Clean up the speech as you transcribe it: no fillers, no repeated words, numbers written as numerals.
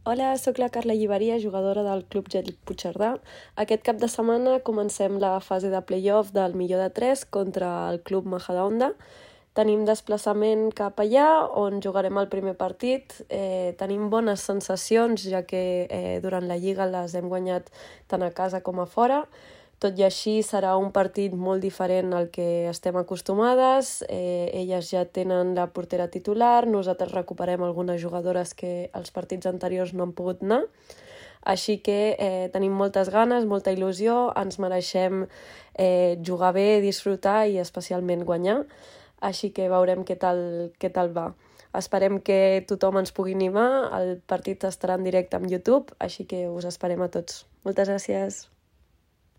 Hola, sóc la Carla Lliveria, jugadora del Club Gèl Puigcerdà. Aquest cap de setmana comencem la fase de play-off del millor de 3 contra el Club Majadahonda. Tenim desplaçament cap allà, on jugarem el primer partit. Tenim bones sensacions, ja que durant la Lliga les hem guanyat tant a casa com a fora. Tot i així serà un partit molt diferent al que estem acostumades. Elles ja tenen la portera titular, nosaltres recuperem algunes jugadores que els partits anteriors no han pogut anar. Així que tenim moltes ganes, molta il·lusió, ens mereixem jugar bé, disfrutar i especialment guanyar. Així que veurem què tal va. Esperem que tothom ens pugui animar, el partit estarà en directe amb YouTube, així que us esperem a tots. Moltes gràcies!